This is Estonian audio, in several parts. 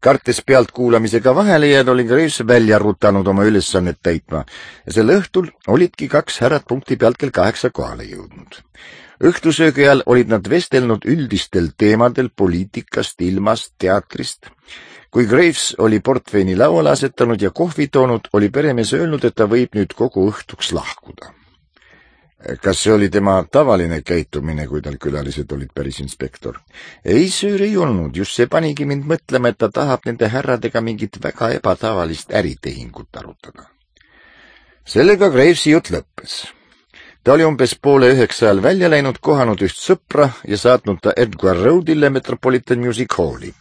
Kartes pealtkuulamisega vahele jääda, oli Graves välja rutanud oma ülesannet täitma ja sel õhtul olidki 2 härrad punkti pealt kell 8 kohale jõudnud. Õhtusöögi ajal olid nad vestelnud üldistel teemadel poliitikast, ilmast, teatrist. Kui Graves oli portveini lauale asetanud ja kohvi toonud, oli peremees öelnud, et ta võib nüüd kogu õhtuks lahkuda. Kas see oli tema tavaline käitumine, kui tal külalised olid, päris inspektor? Ei, söör ei olnud, just see panigi mind mõtlema, et ta tahab nende härradega mingit väga ebatavalist äritehingut arutada. Sellega Gravesi jutt lõppes. Ta oli umbes 8:30 ajal välja läinud, kohanud üht sõpra ja saatnud ta Edgar Roadile Metropolitan Music Halli.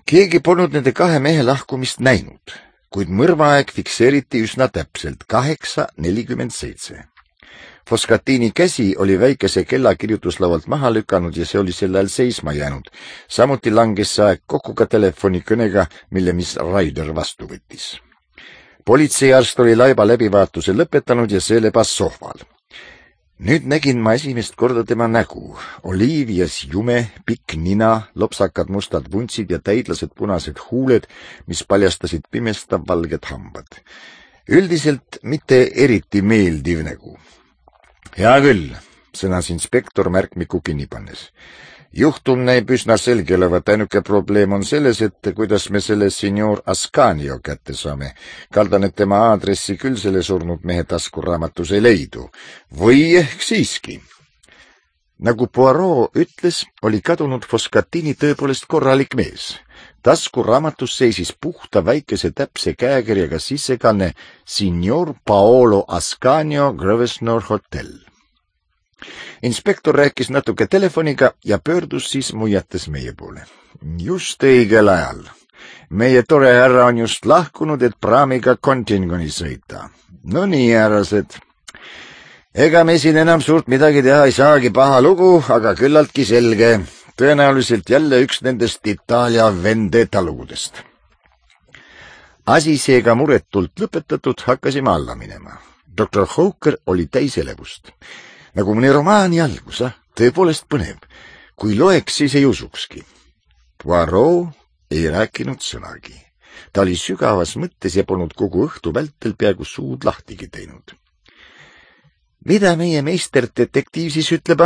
Keegi polnud nende 2 mehe lahkumist näinud, kuid mõrvaaeg fikseeriti üsna täpselt 8:47. Foscatini käsi oli väikese kella kirjutuslaualt maha lükanud ja see oli sel ajal seisma jäänud. Samuti langes see aeg kokku ka telefonikõnega, mille Miss Ryder vastu võttis. Politseiarst oli laiba läbivaatuse lõpetanud ja see lebas sohval. Nüüd nägin ma esimest korda tema nägu. Oliivias jume, pikk nina, lopsakad mustad vuntsid ja täidlased punased huuled, mis paljastasid pimestav valged hambad. Üldiselt mitte eriti meeldiv nägu. Hea küll, sõnas inspektor märkmiku kinni pannes. Juhtum näib üsna selge olevat, ainuke probleem on selles, et kuidas me selle signor Ascanio kätte saame. Kaldan, et tema aadressi küll selle surnud mehe taskuraamatus ei leidu. Või ehk siiski. Nagu Poirot ütles, oli kadunud Foscatini tõepoolest korralik mees. Taskuraamatus seisis puhta väikese täpse käekirjaga sissekanne Signor Paolo Ascanio Grosvenor Hotel. Inspektor rääkis natuke telefoniga ja pöördus siis muiates meie poole. Just õigel ajal. Meie tore härra on just lahkunud, et praamiga Contingoni sõita. No nii, härrased. Ega me siin enam suurt midagi teha ei saagi, paha lugu, aga küllaltki selge. Tõenäoliselt jälle üks nendest Itaalia vendetta lugudest. Asi seega muretult lõpetatud, hakkasime alla minema. Dr. Hawker oli täis elevust. Nagu mõni romaani algus, tõepoolest põnev. Kui loeks, siis ei usukski. Poirot ei rääkinud sõnagi. Ta oli sügavas mõttes ja polnud kogu õhtu vältel peaaegu suud lahtigi teinud. Mida meie meisterdetektiiv siis ütleb?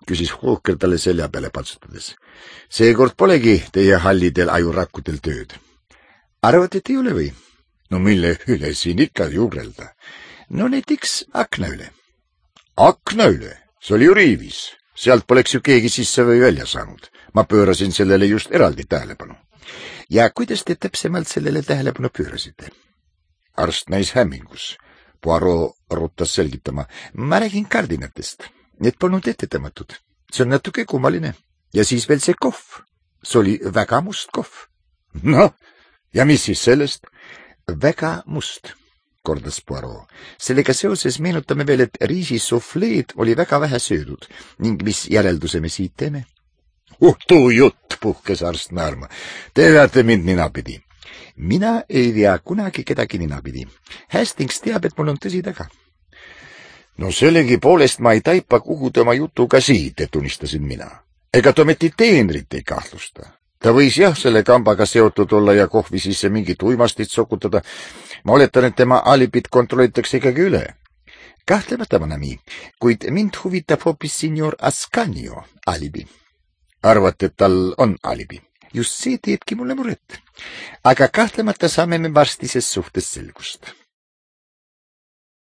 Küsis Hawker talle selja peale patsutades. Seekord polegi teie hallidel ajurakkudel tööd. Arvad, et ei ole või? No mille üle siin ikka juurelda? No näiteks akna üle. Akna üle? See oli ju riivis. Sealt poleks ju keegi sisse või välja saanud. Ma pöörasin sellele just eraldi tähelepanu. Ja kuidas te täpsemalt sellele tähelepanu pöörasite? Arst näis hämmingus. Poirot ruttas selgitama. Ma räägin kardinatest. Need polnud ettetamatud. See on natuke kummaline. Ja siis veel see kohv. See oli väga must kohv. No, ja mis siis sellest? Väga must, kordas Poirot. Sellega seoses meenutame veel, et riisisufleed oli väga vähe söödud ning mis järelduse me siit teeme? Tuu jutt, puhkes arst naerma. Te veate mind ninapidi. Mina ei vea kunagi kedagi ninapidi. Hastings teab, et mul on tõsi taga. No sellegi poolest ma ei taipa, kuhu tema jutuga siit, tunnistasin mina. Ega Tometi teenrit ei kahtlusta. Ta võis jah selle kambaga seotud olla ja kohvi sisse mingit uimastit sokutada. Ma oletan, et tema alibit kontrollitakse ikkagi üle. Kahtlemata, Manami, kuid mind huvitab hoopis signor Ascanio alibi. Arvate, et tal on alibi? Just see teebki mulle muret. Aga kahtlemata saame me varsti ses suhtes selgust.